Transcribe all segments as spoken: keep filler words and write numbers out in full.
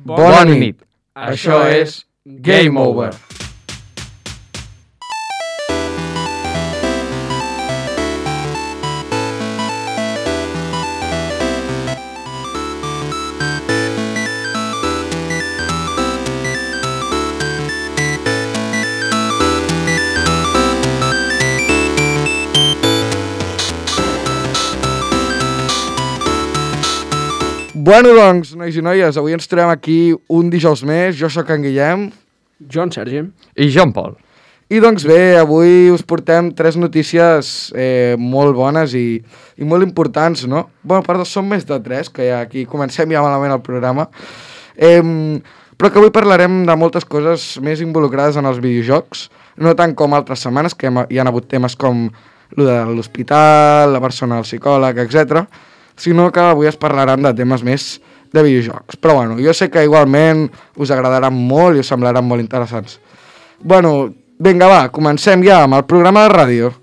Bona nit. Això és Game Over. Bueno, doncs, nois i noies, avui ens trobem aquí un dijous més. Jo sóc en Guillem. Jo en Sergi. I jo en Pol. I doncs bé, avui us portem tres notícies eh, molt bones i, i molt importants, no? Bueno, perdó, són més de tres, que ja aquí comencem ja malament el programa. Eh, però que avui parlarem de moltes coses més involucrades en els videojocs, no tant com altres setmanes, que hi ha hagut temes com lo de l'hospital, la persona del psicòleg, etcètera, sinó que avui es parlaran de temes més de videojocs. Però bueno, jo sé que igualment us agradaran molt i us semblaran molt interessants. Bueno, vinga va, comencem ja amb el programa de ràdio.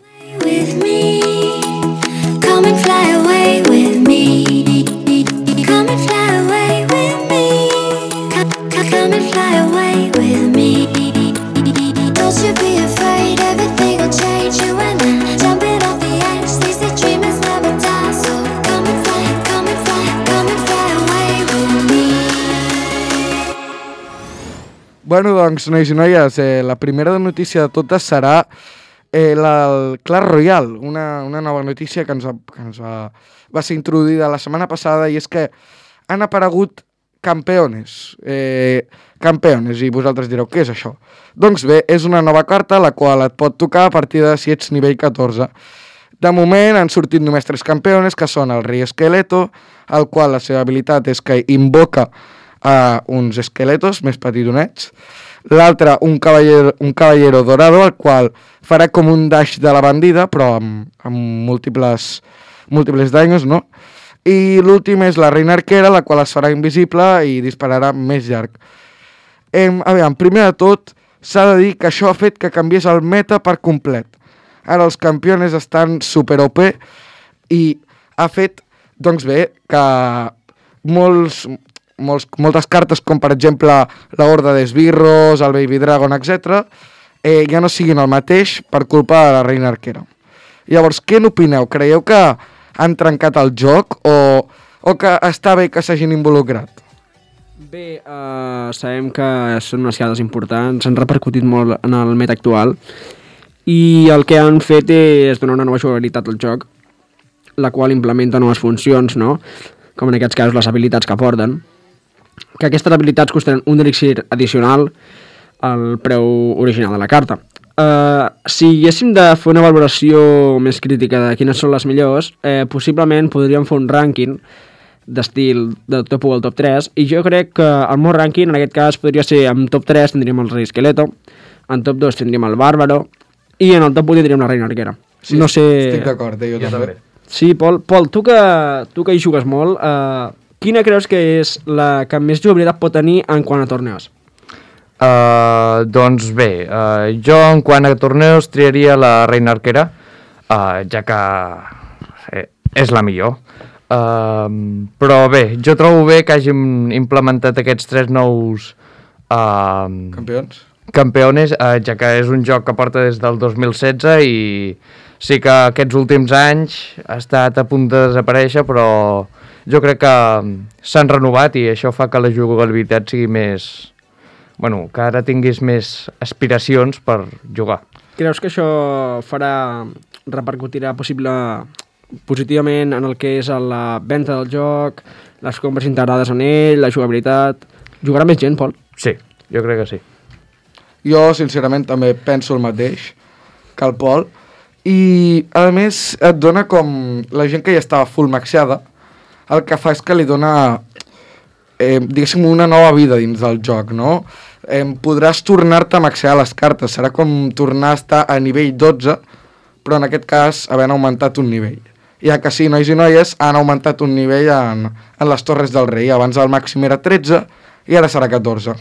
Bueno, doncs, nois i noies, eh, la primera notícia de totes serà eh, la, el Clash Royale, una, una nova notícia que ens, va, que ens va, va ser introduïda la setmana passada, i és que han aparegut campeones, eh, campeones, i vosaltres direu, què és això? Doncs bé, és una nova carta, la qual et pot tocar a partir de si ets nivell catorze. De moment han sortit només tres campeones, que són el rei esqueleto, el qual la seva habilitat és que invoca a uns esqueletos més petitonets, l'altre un cavallero, un cavallero dorado, el qual farà com un dash de la bandida, però amb, amb múltiples, múltiples daños, no? I l'últim és la reina arquera, la qual es farà invisible i dispararà més llarg. Em, a veure, primer de tot, s'ha de dir que això ha fet que canviés el meta per complet. Ara els campeones estan super O P i ha fet, doncs bé, que molts... Molts, moltes cartes com per exemple la Horda d'Esbirros, el Baby Dragon, etcètera, eh, ja no siguin el mateix per culpa de la reina arquera. Llavors, què n'opineu? Creieu que han trencat el joc o, o que està bé que s'hagin involucrat? Bé, uh, sabem que són unes cartes importants, han repercutit molt en el meta actual i el que han fet és donar una nova jugabilitat al joc, la qual implementa noves funcions, no? Com en aquests casos les habilitats que porten, que aquestes habilitats costaran un elixir addicional al preu original de la carta. Uh, si haguéssim de fer una valoració més crítica de quines són les millors, eh, possiblement podríem fer un rànquing d'estil del top u al top tres, i jo crec que el meu rànquing en aquest cas podria ser en top tres tindríem el rei esqueleto, en top dos tindríem el bàrbaro i en el top u tindríem la reina arquera. Sí, no sé... estic d'acord, eh, jo, jo també. Sí, Pol, Pol tu, que, tu que hi jugues molt, eh, quina creus que és la que més jugabilitat pot tenir en quant a torneos? Uh, doncs bé, uh, jo en quant a torneos triaria la reina arquera, uh, ja que eh, és la millor. Uh, però bé, jo trobo bé que hàgim implementat aquests tres nous uh, campions, campeones, uh, ja que és un joc que porta des del dos mil setze i sí que aquests últims anys ha estat a punt de desaparèixer, però jo crec que s'han renovat i això fa que la jugabilitat sigui més... Bueno, que ara tinguis més aspiracions per jugar. Creus que això farà, repercutirà possible, positivament en el que és la venda del joc, les compres integrades en ell, la jugabilitat? Jugarà més gent, Pol? Sí, jo crec que sí. Jo, sincerament, també penso el mateix que el Pol. I, a més, et dona com la gent que ja estava full maxada, el que fa és que li dona, eh, diguéssim, una nova vida dins del joc, no? Eh, podràs tornar-te a maxear les cartes, serà com tornar a estar a nivell dotze, però en aquest cas havent augmentat un nivell. Ja que sí, nois i noies, han augmentat un nivell en, en les Torres del Rei. Abans el màxim era tretze i ara serà catorze.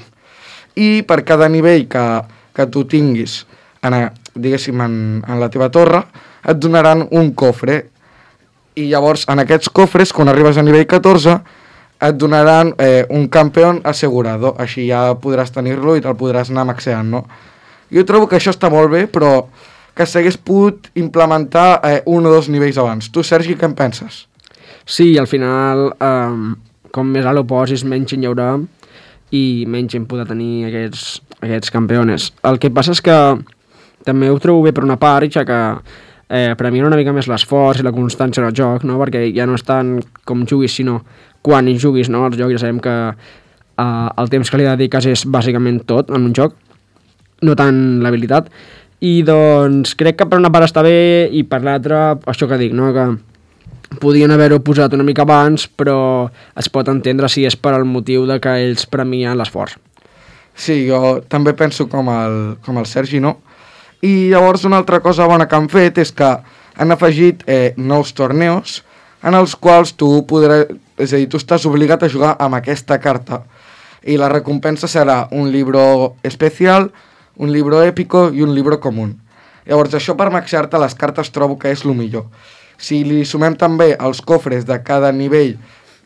I per cada nivell que, que tu tinguis en, diguéssim, en, en la teva torre, et donaran un cofre. I llavors, en aquests cofres, quan arribes a nivell catorze, et donaran eh, un campió assegurado, així ja podràs tenir-lo i te'l podràs anar maxeant, no? Jo trobo que això està molt bé, però que s'hagués pogut implementar eh, un o dos nivells abans. Tu, Sergi, què en penses? Sí, al final, eh, com més alt ho posis, menys gent hi haurà i menys gent podrà tenir aquests, aquests campiones. El que passa és que també ho trobo bé per una part, ja que eh, premia una mica més l'esforç i la constància del joc, no? Perquè ja no és tant com juguis, sinó quan hi juguis, no? Els jocs ja sabem que eh, el temps que li dediques és bàsicament tot en un joc, no tant l'habilitat. I doncs crec que per una part està bé i per l'altra, això que dic, no? Que podien haver-ho posat una mica abans, però es pot entendre si és per al motiu de que ells premien l'esforç. Sí, jo també penso com el, com el Sergi, no? I llavors una altra cosa bona que han fet és que han afegit eh, nous torneos en els quals tu podràs, és a dir, tu estàs obligat a jugar amb aquesta carta i la recompensa serà un libro especial, un libro épico i un libro comú. Llavors, això per maxear-te les cartes trobo que és el millor. Si li sumem també els cofres de cada nivell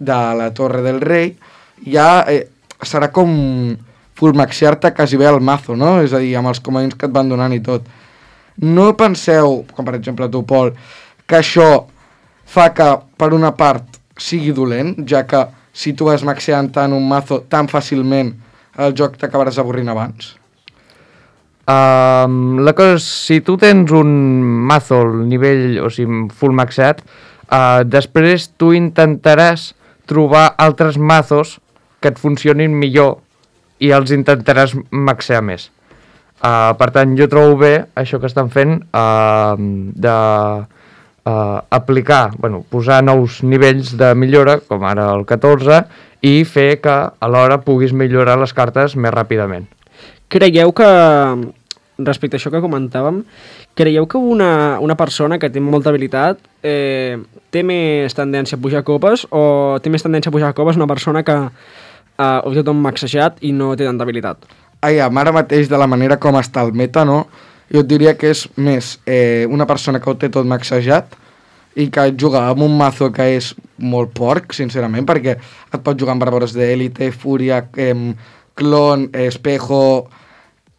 de la Torre del Rei, ja eh, serà com full maxear-te quasi bé el mazo, no? És a dir, amb els comodins que et van donant i tot. No penseu, com per exemple tu, Pol, que això fa que, per una part, sigui dolent, ja que si tu vas maxeant tant un mazo tan fàcilment, el joc t'acabaràs avorrint abans? Um, la cosa és, si tu tens un mazo al nivell, o sigui, full maxat, uh, després tu intentaràs trobar altres mazos que et funcionin millor i els intentaràs maxear més. Uh, per tant, jo trobo bé això que estan fent uh, de uh, aplicar, bueno, posar nous nivells de millora, com ara el catorze, i fer que alhora puguis millorar les cartes més ràpidament. Creieu que, respecte a això que comentàvem, creieu que una, una persona que té molta habilitat eh, té més tendència a pujar copes o té més tendència a pujar copes una persona que eh, ho té tot maxejat i no té tanta habilitat? Ai, ara mateix, de la manera com està el meta, no? Jo et diria que és més eh, una persona que ho té tot maxejat i que juga amb un mazo que és molt porc, sincerament, perquè et pot jugar amb Barbaros d'Élite, Fúria, eh, Clon, Espejo,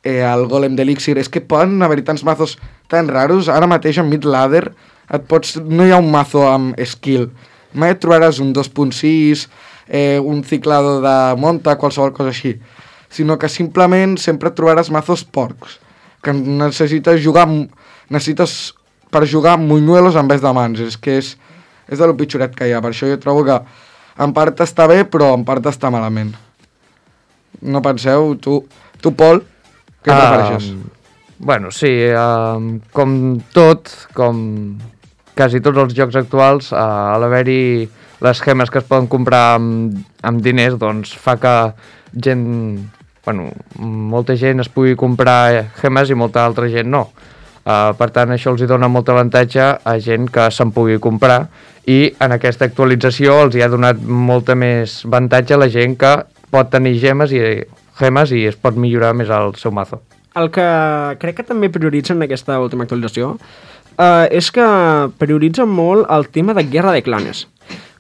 eh, el Golem d'Elixir. És que poden haver-hi tants mazos tan raros. Ara mateix en Mid-Ladder et pots... no hi ha un mazo amb skill. Mai et trobaràs un dos punt sis, eh, un ciclado de monta, qualsevol cosa així. Sinó que simplement sempre et trobaràs mazos porcs, que necessites jugar... necessites per jugar muñuelos en vez de mans. És que és, és de lo pitjoret que hi ha. Per això jo trobo que en part està bé, però en part està malament. No penseu? Tu, tu Pol, què uh, prefereixes? Bueno, sí, uh, com tot, com quasi tots els jocs actuals, uh, a l'haver-hi les gemes que es poden comprar amb, amb diners, doncs fa que gent, bueno, molta gent es pugui comprar gemes i molta altra gent no. Uh, per tant, això els hi dona molt avantatge a gent que se'n pugui comprar i en aquesta actualització els hi ha donat molta més avantatge a la gent que pot tenir gemes i, gemes i es pot millorar més el seu mazo. El que crec que també prioritzen en aquesta última actualització uh, és que prioritzen molt el tema de Guerra de Clanes.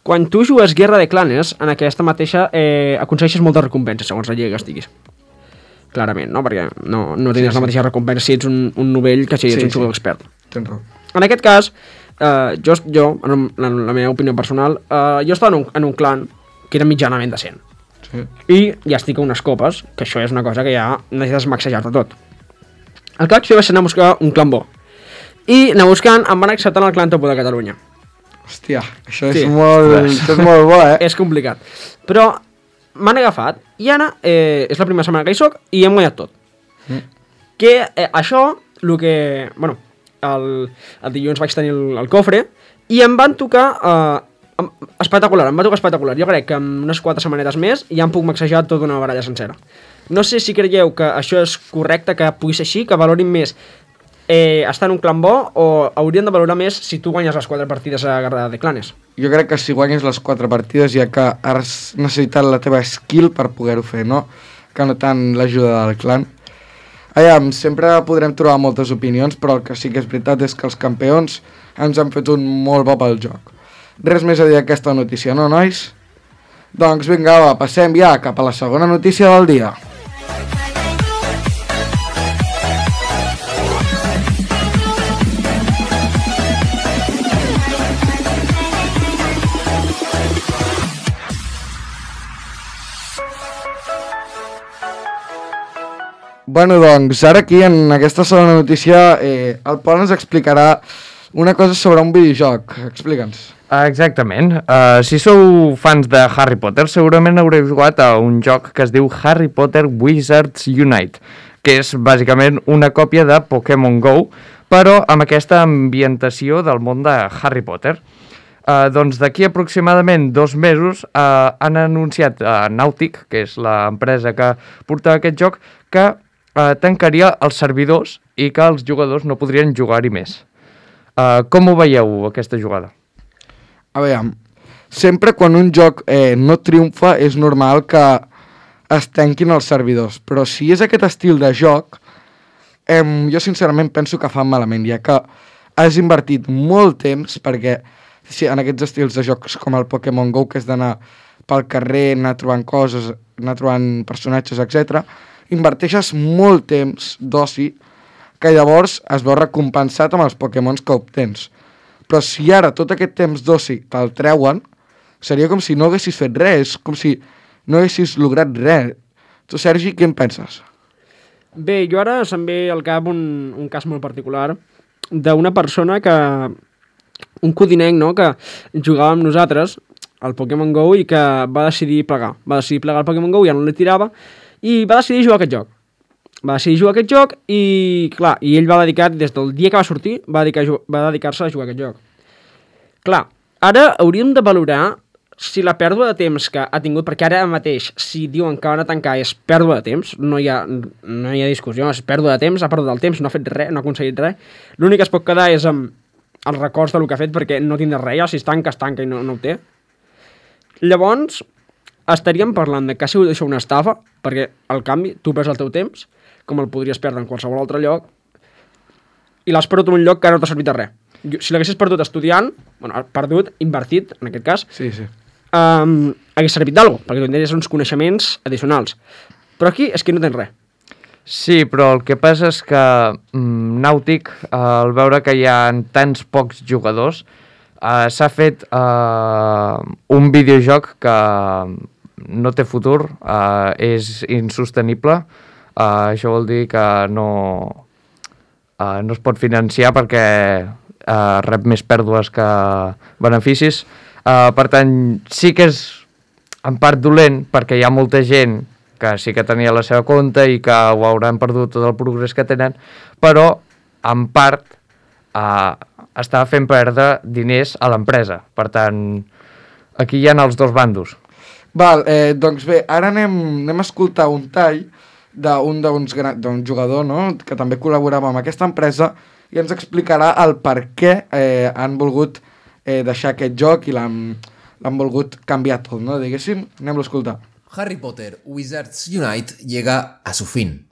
Quan tu jugues Guerra de Clanes, en aquesta mateixa eh, aconsegueixes moltes recompenses, segons la lliga que estiguis. Clarament, no? Perquè no, no tens sí, sí. la mateixa recompensa si ets un, un novell que si ets sí, un jugador sí. expert. Tens raó. En aquest cas, eh, jo, jo, en la, la meva opinió personal, eh, jo estava en un, en un clan que era mitjanament decent. Sí. I ja estic a unes copes, que això és una cosa que ja necessites maxejar-te tot. El que vaig fer va ser anar a buscar un clan bo. I anar buscant, em van acceptar el clan Topo de Catalunya. Hòstia, això és, sí. molt, això és molt bo, eh? És complicat. Però m'han agafat i ara eh, és la primera setmana que hi soc i hem guanyat tot. Mm. Que eh, això, el que... Bueno, el, el dilluns vaig tenir el, el cofre i em van tocar eh, espectacular, em va tocar espectacular. Jo crec que en unes quatre setmanetes més ja em puc maxejar tota una baralla sencera. No sé si creieu que això és correcte, que pugui ser així, que valorin més eh, estar en un clan bo o haurien de valorar més si tu guanyes les quatre partides a Guerra de Clanes. Jo crec que si guanyes les quatre partides ja que has necessitat la teva skill per poder-ho fer, no? Que no tant l'ajuda del clan. Aviam, sempre podrem trobar moltes opinions, però el que sí que és veritat és que els campions ens han fet un molt bo pel joc. Res més a dir d'aquesta notícia, no, nois? Doncs vinga, va, passem ja cap a la segona notícia del dia. Bueno, doncs, ara aquí, en aquesta segona notícia, eh, el Pol ens explicarà una cosa sobre un videojoc. Explica'ns. Exactament. Uh, si sou fans de Harry Potter, segurament haureu jugat a un joc que es diu Harry Potter Wizards Unite, que és bàsicament una còpia de Pokémon Go, però amb aquesta ambientació del món de Harry Potter. Uh, doncs d'aquí aproximadament dos mesos uh, han anunciat uh, Nautic, que és l'empresa que porta aquest joc, que uh, tancaria els servidors i que els jugadors no podrien jugar-hi més. Uh, com ho veieu, aquesta jugada? A veure, sempre quan un joc eh, no triomfa és normal que es tanquin els servidors, però si és aquest estil de joc, eh, jo sincerament penso que fan malament, ja que has invertit molt temps, perquè si en aquests estils de jocs com el Pokémon Go, que és d'anar pel carrer, anar trobant coses, anar trobant personatges, etcètera, inverteixes molt temps d'oci que llavors es veu recompensat amb els Pokémons que obtens. Però si ara tot aquest temps d'oci te'l treuen, seria com si no haguessis fet res, com si no haguessis lograt res. Tu, Sergi, què en penses? Bé, jo ara se'm ve al cap un, un cas molt particular d'una persona que... un codinenc, no?, que jugava amb nosaltres al Pokémon Go i que va decidir plegar. Va decidir plegar el Pokémon Go, ja no li tirava, i va decidir jugar a aquest joc. Va decidir jugar a aquest joc i, clar, i ell va dedicar, des del dia que va sortir, va dedicar, va dedicar-se a jugar a aquest joc. Clar, ara hauríem de valorar si la pèrdua de temps que ha tingut, perquè ara mateix, si diuen que van a tancar és pèrdua de temps, no hi ha, no hi ha discussió, és pèrdua de temps, ha perdut el temps, no ha fet res, no ha aconseguit res. L'únic que es pot quedar és amb els records del que ha fet, perquè no tindrà res, ja, si es tanca, es tanca i no, no ho té. Llavors, estaríem parlant de que ha sigut això una estafa, perquè, al canvi, tu perds el teu temps, com el podries perdre en qualsevol altre lloc, i l'has perdut en un lloc que no t'ha servit de res. Si l'haguessis perdut estudiant, bueno, perdut, invertit, en aquest cas, sí, sí. Um, hagués servit d'algo, perquè tindries uns coneixements addicionals. Però aquí és que no tens res. Sí, però el que passa és que mm, Nautic, eh, al veure que hi ha tants pocs jugadors, eh, s'ha fet eh, un videojoc que no té futur, eh, és insostenible. Uh, això vol dir que no, uh, no es pot financiar perquè uh, rep més pèrdues que beneficis. Uh, per tant, sí que és en part dolent perquè hi ha molta gent que sí que tenia la seva compte i que ho hauran perdut tot el progrés que tenen, però en part uh, està fent perdre diners a l'empresa. Per tant, aquí hi ha els dos bandos. Val, eh, doncs bé, ara anem, anem a escoltar un tall d'un d'un jugador, no?, que també col·laborava amb aquesta empresa i ens explicarà el per què eh, han volgut eh, deixar aquest joc i l'han volgut canviar tot, no?, diguéssim. Anem-lo a escoltar. Harry Potter Wizards Unite llega a su fin.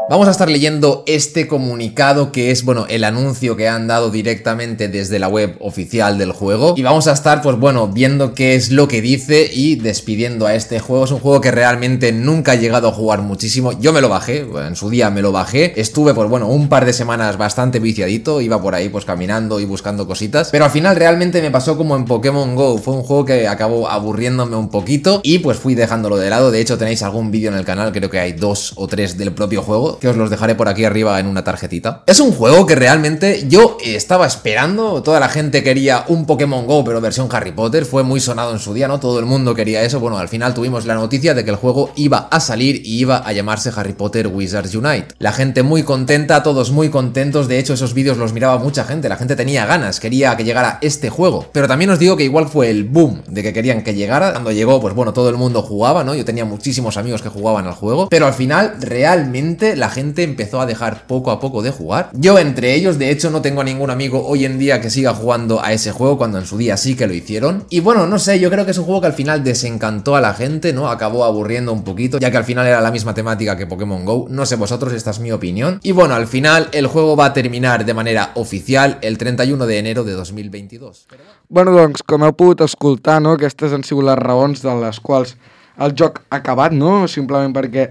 Vamos a estar leyendo este comunicado que es, bueno, el anuncio que han dado directamente desde la web oficial del juego. Y vamos a estar, pues bueno, viendo qué es lo que dice y despidiendo a este juego. Es un juego que realmente nunca he llegado a jugar muchísimo. Yo me lo bajé, en su día me lo bajé. Estuve, pues bueno, un par de semanas bastante viciadito. Iba por ahí, pues caminando y buscando cositas. Pero al final realmente me pasó como en Pokémon Go. Fue un juego que acabó aburriéndome un poquito y pues fui dejándolo de lado. De hecho, tenéis algún vídeo en el canal, creo que hay dos o tres del propio juego, que os los dejaré por aquí arriba en una tarjetita. Es un juego que realmente yo estaba esperando. Toda la gente quería un Pokémon Go, pero versión Harry Potter. Fue muy sonado en su día, ¿no? Todo el mundo quería eso. Bueno, al final tuvimos la noticia de que el juego iba a salir y iba a llamarse Harry Potter Wizards Unite. La gente muy contenta, todos muy contentos. De hecho, esos vídeos los miraba mucha gente. La gente tenía ganas, quería que llegara este juego. Pero también os digo que igual fue el boom de que querían que llegara. Cuando llegó, pues bueno, todo el mundo jugaba, ¿no? Yo tenía muchísimos amigos que jugaban al juego. Pero al final, realmente, la la gente empezó a dejar poco a poco de jugar. Yo entre ellos, de hecho no tengo a ningún amigo hoy en día que siga jugando a ese juego cuando en su día sí que lo hicieron. Y bueno, no sé, yo creo que es un juego que al final desencantó a la gente, ¿no? Acabó aburriendo un poquito, ya que al final era la misma temática que Pokémon GO. No sé vosotros, esta es mi opinión. Y bueno, al final el juego va a terminar de manera oficial el treinta y uno de enero de dos mil veintidós. Bueno, doncs, com heu pogut escoltar, no? Aquestes han sigut les raons de les quals el joc ha acabat, no? Simplement perquè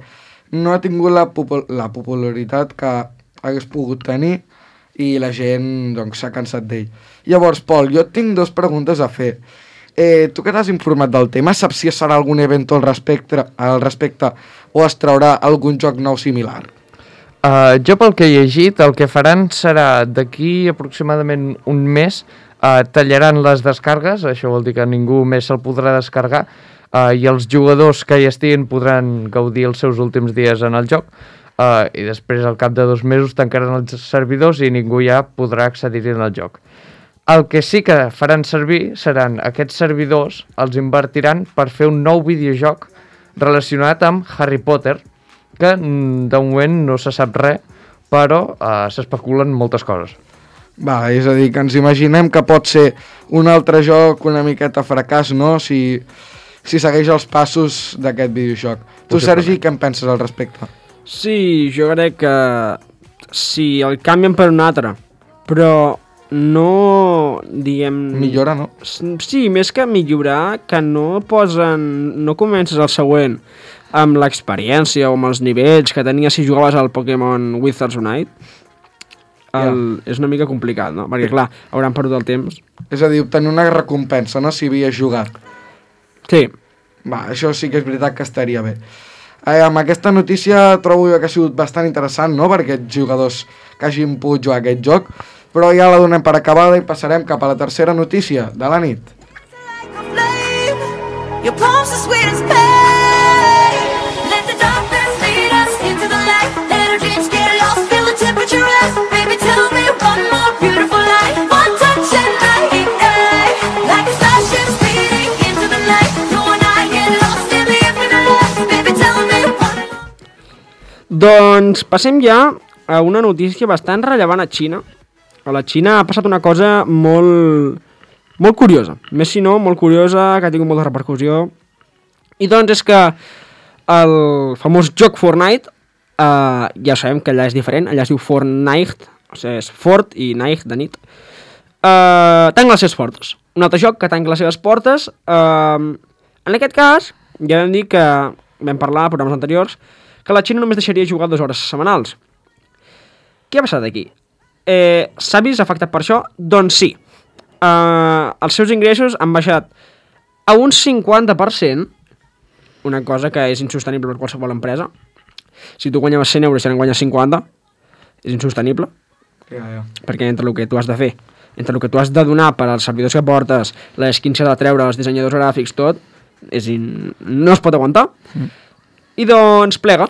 no ha tingut la, popul la popularitat que hagués pogut tenir i la gent doncs, s'ha cansat d'ell. Llavors, Pol, jo tinc dues preguntes a fer. Eh, tu que t'has informat del tema, saps si es farà algun event al respecte, al respecte o es traurà algun joc nou similar? Uh, jo pel que he llegit, el que faran serà d'aquí aproximadament un mes, uh, tallaran les descargues, això vol dir que ningú més se'l podrà descarregar, uh, i els jugadors que hi estiguin podran gaudir els seus últims dies en el joc, uh, i després al cap de dos mesos tancaran els servidors i ningú ja podrà accedir-hi en el joc. El que sí que faran servir seran aquests servidors, els invertiran per fer un nou videojoc relacionat amb Harry Potter, que de moment no se sap res, però uh, s'especulen moltes coses. Va, és a dir, que ens imaginem que pot ser un altre joc una miqueta fracàs, no?, si, si segueix els passos d'aquest videojoc. Tu, Sergi, què en penses al respecte? Sí, jo crec que si el canvien per un altre, però no, diguem... Millora, no? Sí, més que millorar, que no posen... No comences el següent amb l'experiència o amb els nivells que tenies si jugaves al Pokémon Wizards Unite. El, yeah. És una mica complicat, no? Perquè, clar, hauran perdut el temps. És a dir, obtenir una recompensa, no?, si havies jugat. Sí. Va, això sí que és veritat que estaria bé. Eh, amb aquesta notícia trobo jo que ha sigut bastant interessant, no?, per aquests jugadors que hagin pogut jugar aquest joc, però ja la donem per acabada i passarem cap a la tercera notícia de la nit. Doncs passem ja a una notícia bastant rellevant a Xina. A la Xina ha passat una cosa molt, molt curiosa, més si no, molt curiosa, que ha tingut molta repercussió. I doncs és que el famós joc Fortnite, eh, ja sabem que allà és diferent, allà es diu Fortnite, o sigui, és Fort i Night de nit, eh, tanca les seves portes. Un altre joc que tanca les seves portes. Eh, en aquest cas, ja vam dir que, vam parlar a programes anteriors, que la Xina només deixaria jugar dues hores setmanals. Què ha passat aquí? Eh, S'ha vist afectat per això? Doncs sí. Eh, els seus ingressos han baixat a un cinquanta per cent, una cosa que és insostenible per qualsevol empresa. Si tu guanyaves cent euros i ara en guanyes cinquanta, és insostenible. Ja, ja. Perquè entre el que tu has de fer, entre el que tu has de donar per als servidors que portes, les skins que has de treure, els dissenyadors gràfics, tot, és in... no es pot aguantar. Mm. I doncs plega,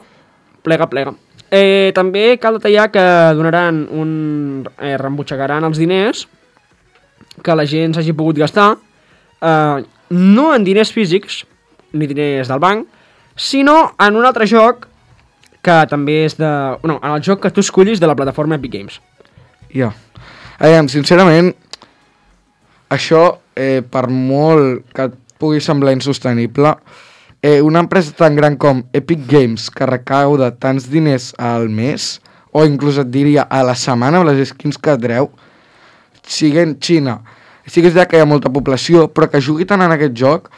plega, plega. Eh, també cal detallar que donaran un... Eh, reembutxacaran els diners que la gent s'hagi pogut gastar, eh, no en diners físics, ni diners del banc, sinó en un altre joc que també és de... No, en el joc que tu escollis de la plataforma Epic Games. Ja. Aviam, sincerament, això, eh, per molt que et pugui semblar insostenible, eh, una empresa tan gran com Epic Games, que recauda tants diners al mes, o inclús et diria a la setmana amb les skins que treu, siguent Xina, sí que és veritat que hi ha molta població, però que jugui tant en aquest joc,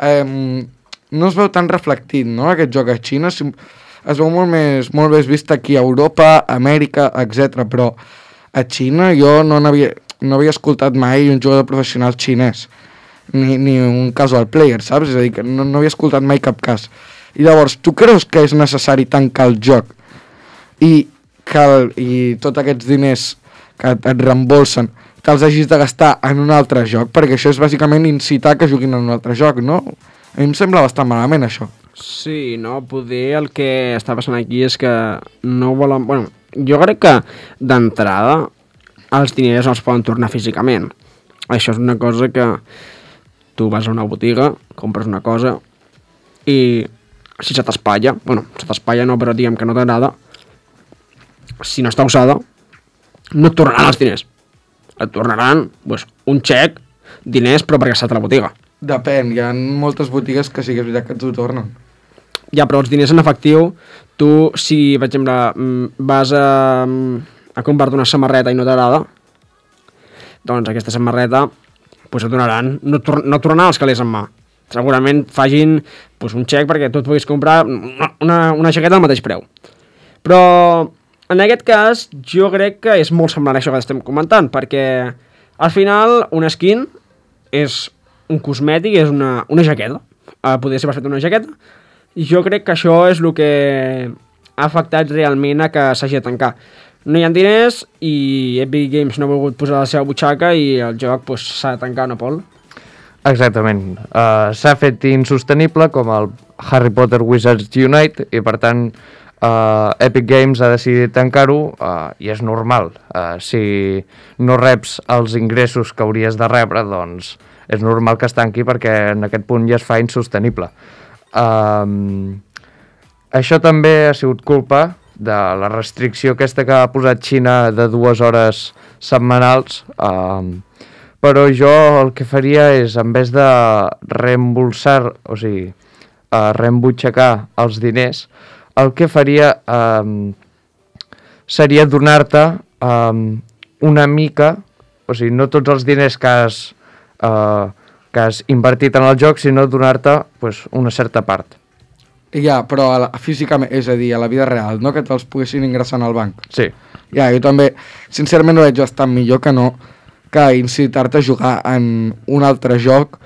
eh, no es veu tan reflectit, no?, aquest joc a Xina, es veu molt més, molt més vist aquí a Europa, Amèrica, etcètera, però a Xina jo no n'havia no havia escoltat mai un jugador professional xinès, ni, ni un casual player, saps? És a dir, que no, no havia escoltat mai cap cas. I llavors, tu creus que és necessari tancar el joc i, que el, i tots aquests diners que et reembolsen te'ls hagis de gastar en un altre joc? Perquè això és bàsicament incitar que juguin en un altre joc, no? A mi em sembla bastant malament, això. Sí, no, poder el que està passant aquí és que no volen... Bueno, jo crec que d'entrada els diners no els poden tornar físicament. Això és una cosa que tu vas a una botiga, compres una cosa i si se t'espatlla, bueno, se t'espatlla no, però diguem que no t'agrada, si no està usada, no et tornaran els diners. Et tornaran pues, un xec, diners, però perquè ha estat a la botiga. Depèn, hi ha moltes botigues que sí que és veritat que ens ho tornen. Ja, però els diners en efectiu, tu, si, per exemple, vas a, a comprar-te una samarreta i no t'agrada, doncs aquesta samarreta pues, et donaran, no, tor no tornaran els calés en mà. Segurament facin pues, un xec perquè tu et puguis comprar una, una, una jaqueta al mateix preu. Però en aquest cas jo crec que és molt semblant a això que estem comentant, perquè al final una skin és un cosmètic, és una, una jaqueta. Uh, podria ser perfecte una jaqueta. I jo crec que això és el que ha afectat realment a que s'hagi de tancar. No hi ha diners i Epic Games no ha volgut posar la seva butxaca i el joc pues, s'ha de tancar, no, Pol? Exactament. Uh, s'ha fet insostenible com el Harry Potter Wizards Unite i per tant uh, Epic Games ha decidit tancar-ho uh, i és normal. Uh, si no reps els ingressos que hauries de rebre, doncs és normal que es tanqui perquè en aquest punt ja es fa insostenible. Um, això també ha sigut culpa de la restricció aquesta que ha posat Xina de dues hores setmanals, um, però jo el que faria és, en vez de reembolsar, o sigui, uh, reembutxacar els diners, el que faria um, seria donar-te um, una mica, o sigui, no tots els diners que has... Uh, que has invertit en el joc, sinó donar-te pues, una certa part. Ja, però a la, físicament, és a dir, a la vida real, no que te'ls poguessin ingressar al banc. Sí. Ja, jo també, sincerament, ho veig bastant millor que no que incitar-te a jugar en un altre joc,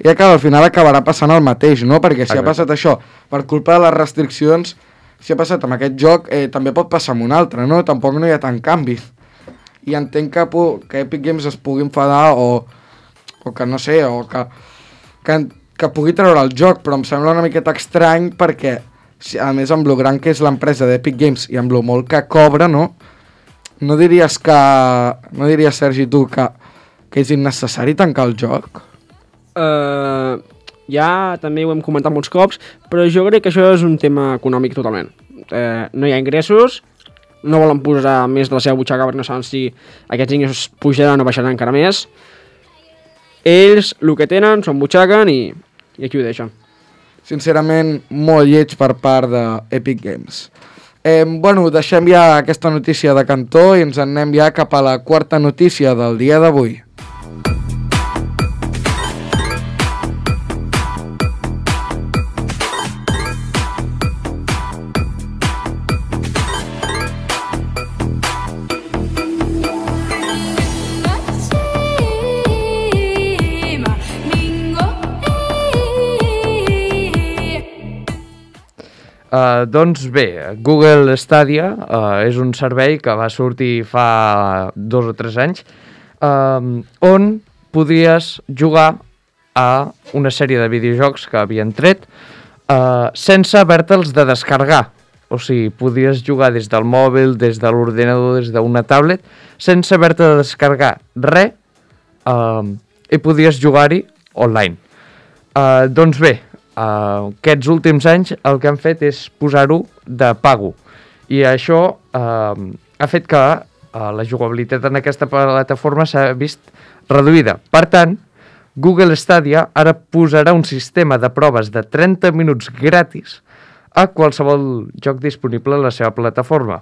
ja que al final acabarà passant el mateix, no? Perquè si okay. ha passat això per culpa de les restriccions, si ha passat amb aquest joc, eh, també pot passar amb un altre, no? Tampoc no hi ha tant canvi. I entenc que, que Epic Games es pugui enfadar o... o que no sé, o que, que, que pugui treure el joc, però em sembla una miqueta estrany perquè, a més amb lo gran que és l'empresa d'Epic Games i amb lo molt que cobra, no? No diries que... No diries, Sergi, tu, que, que és innecessari tancar el joc? Uh, ja també ho hem comentat molts cops, però jo crec que això és un tema econòmic totalment. Uh, no hi ha ingressos, no volen posar més de la seva butxaca perquè no saben si aquests ingressos pujaran o baixaran encara més. Ells el que tenen són butxaquen i, i aquí ho deixen. Sincerament, molt lleig per part d'Epic Games. Eh, bueno, deixem ja aquesta notícia de cantó i ens anem ja cap a la quarta notícia del dia d'avui. Uh, doncs bé, Google Stadia uh, és un servei que va sortir fa dos o tres anys uh, on podries jugar a una sèrie de videojocs que havien tret uh, sense haver-te'ls de descarregar. O sigui, podries jugar des del mòbil, des de l'ordinador, des d'una tablet, sense haver-te de descarregar res uh, i podries jugar-hi online. Uh, doncs bé, Uh, aquests últims anys el que han fet és posar-ho de pago i això uh, ha fet que uh, la jugabilitat en aquesta plataforma s'ha vist reduïda. Per tant, Google Stadia ara posarà un sistema de proves de trenta minuts gratis a qualsevol joc disponible a la seva plataforma.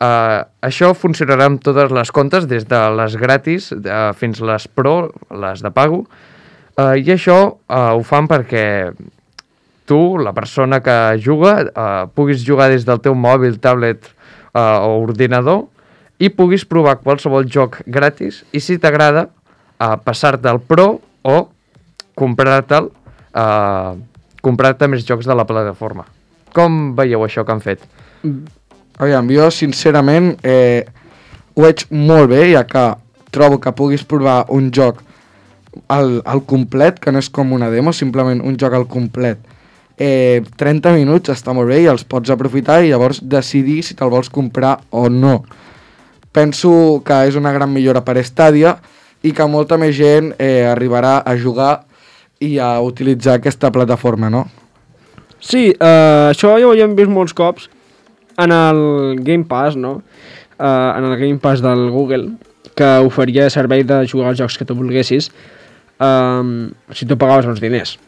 Uh, això funcionarà amb totes les comptes, des de les gratis uh, fins les pro, les de pago, uh, i això uh, ho fan perquè tu, la persona que juga, eh, puguis jugar des del teu mòbil, tablet eh, o ordinador i puguis provar qualsevol joc gratis i si t'agrada eh, passar-te al Pro o comprar-te'l eh, comprar-te més jocs de la plataforma. Com veieu això que han fet? Aviam, jo sincerament eh, ho veig molt bé, ja que trobo que puguis provar un joc al, al complet, que no és com una demo, simplement un joc al complet. Eh, trenta minuts està molt bé i els pots aprofitar i llavors decidir si te'l vols comprar o no. Penso que és una gran millora per Stadia i que molta més gent eh, arribarà a jugar i a utilitzar aquesta plataforma, no? Sí, eh, això ja ho hem vist molts cops en el Game Pass, no? Uh, en el Game Pass del Google, que oferia servei de jugar als jocs que tu volguessis, um, si tu pagaves uns diners.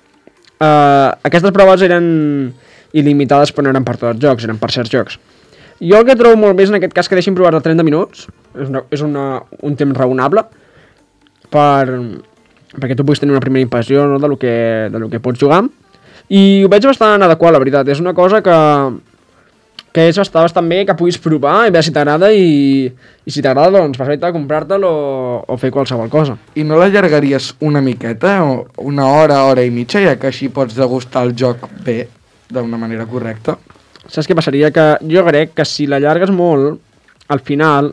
Uh, aquestes proves eren il·limitades, però no eren per tots els jocs, eren per certs jocs. Jo el que trobo molt més en aquest cas que deixin provar de trenta minuts, és, una, és una, un temps raonable, per, perquè tu puguis tenir una primera impressió, no, de lo que, de lo que pots jugar, i ho veig bastant adequat, la veritat. És una cosa que, que és bastant, bastant bé, que puguis provar i veure si t'agrada, i, i si t'agrada, doncs, perfecte, comprar-te'l o, o fer qualsevol cosa. I no l'allargaries una miqueta, o una hora, hora i mitja, ja que així pots degustar el joc bé, d'una manera correcta? Saps què passaria? Que jo crec que si l'allargues molt, al final,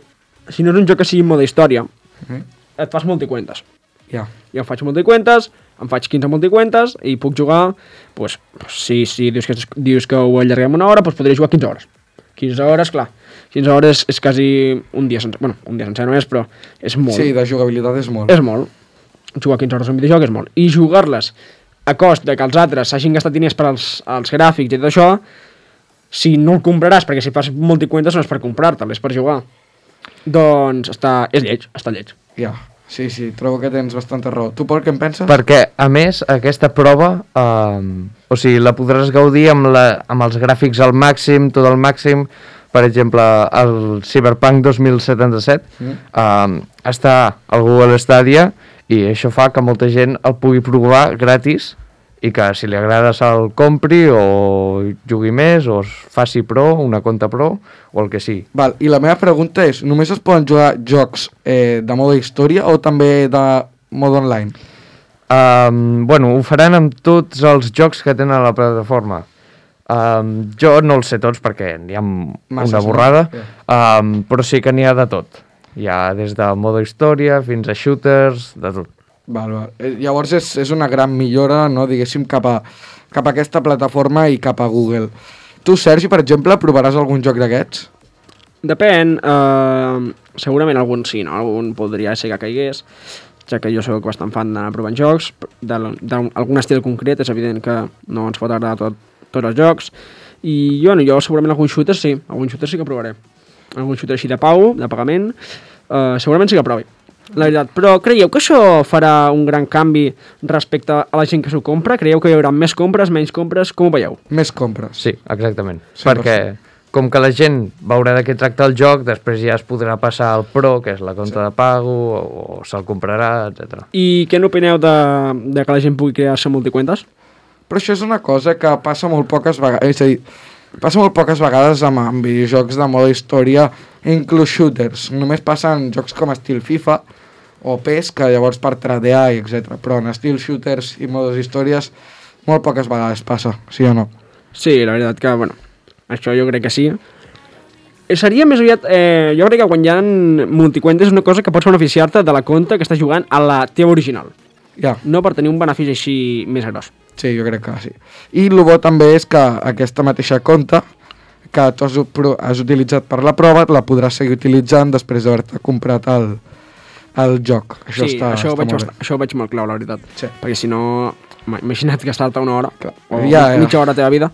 si no és un joc que sigui en mode història, Mm. et fas multicuentes. Ja. Jo em faig multicuentes, em faig quinze multicuentes i puc jugar, pues, si, si dius, que, dius que ho allarguem una hora, pues podré jugar quinze hores. quinze hores, clar. quinze hores és quasi un dia sencer. Bueno, un dia sencer no és, però és molt. Sí, de jugabilitat és molt. És molt. Jugar quinze hores a un videojoc és molt. I jugar-les a cost de que els altres s'hagin gastat diners per als, als gràfics i tot això, si no el compraràs, perquè si fas multicuentes no és per comprar-te'l, és per jugar. Doncs està, és lleig, està lleig. Ja, sí, sí, trobo que tens bastanta raó. Tu, Pol, què en penses? Perquè, a més, aquesta prova, eh, o sigui, la podràs gaudir amb, la, amb els gràfics al màxim, tot al màxim. Per exemple, el Cyberpunk dos mil setanta-set mm. eh, està al Google Stadia i això fa que molta gent el pugui provar gratis i que si li agrada se'l compri o jugui més o es faci pro, una compte pro o el que sigui. Val, i la meva pregunta és, només es poden jugar jocs eh, de mode història o també de mode online? Um, bueno, ho faran amb tots els jocs que tenen a la plataforma. Um, jo no els sé tots perquè n'hi ha Masses, una borrada, no? um, però sí que n'hi ha de tot. Hi ha des de mode història fins a shooters, de tot. Val, val. Eh, llavors és, és una gran millora, no, diguéssim, cap a, cap a aquesta plataforma i cap a Google. Tu, Sergi, per exemple, provaràs algun joc d'aquests? Depèn, eh, segurament algun sí, no? Algun podria ser que caigués, ja que jo soc bastant fan d'anar provant jocs, d'algun estil concret, és evident que no ens pot agradar tot, tots els jocs, i jo, no, jo segurament algun shooter sí, algun shooter sí que provaré. Algun shooter així de pau, de pagament, eh, segurament sí que provi, la veritat. Però creieu que això farà un gran canvi respecte a la gent que s'ho compra? Creieu que hi haurà més compres, menys compres? Com ho veieu? Més compres. Sí, exactament. cent per cent. Perquè com que la gent veurà de què tracta el joc, després ja es podrà passar al Pro, que és la compta sí. de pago, o, o se'l comprarà, etcètera. I què n'opineu de, de que la gent pugui crear-se multicuentes? Però això és una cosa que passa molt poques vegades, és a dir, passa molt poques vegades amb, amb videojocs de mode història, inclús shooters. Només passa en jocs com estil FIFA o P E S, que llavors per tradear i etcètera. Però en estil shooters i modes històries molt poques vegades passa, sí o no? Sí, la veritat que, bueno, això jo crec que sí. Seria més aviat, eh, jo crec que quan hi ha multicuentes és una cosa que pots beneficiar-te de la compte que estàs jugant a la teva original. Ja. No per tenir un benefici així més gros. Sí, jo crec que sí. I el bo també és que aquesta mateixa compte que tu has, has utilitzat per la prova la podràs seguir utilitzant després d'haver-te comprat el, el joc. Això sí, està, això, ho està veig, molt bé. això ho veig molt clau, la veritat. Sí. Perquè si no, imagina't gastar-te una hora Clar. o Ja, ja. mitja hora de la teva vida,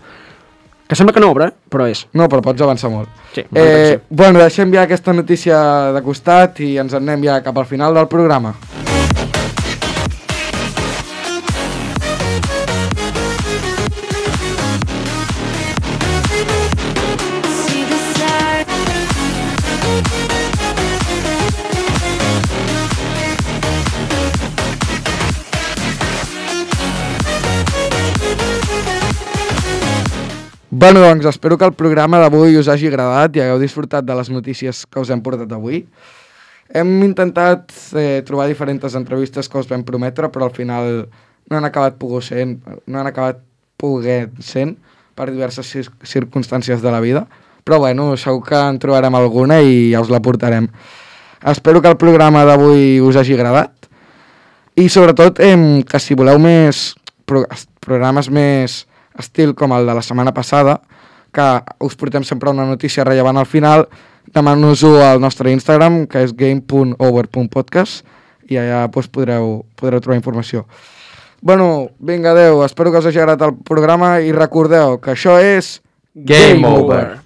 que sembla que no obre, eh? Però és. No, però pots avançar molt. Sí, eh, bueno, deixem ja aquesta notícia de costat i ens en anem ja cap al final del programa. Bueno, doncs espero que el programa d'avui us hagi agradat i hagueu disfrutat de les notícies que us hem portat avui. Hem intentat eh, trobar diferents entrevistes que us vam prometre, però al final no han acabat pogut sent, no han acabat poguent sent per diverses cir circumstàncies de la vida. Però bueno, segur que en trobarem alguna i ja us la portarem. Espero que el programa d'avui us hagi agradat i sobretot eh, que si voleu més pro programes més estil com el de la setmana passada, que us portem sempre una notícia rellevant al final, demaneu-nos-ho al nostre Instagram, que és game punt over punt podcast, i allà doncs, podreu, podreu trobar informació. Bueno, vinga, adeu, espero que us hagi agradat el programa i recordeu que això és Game Over.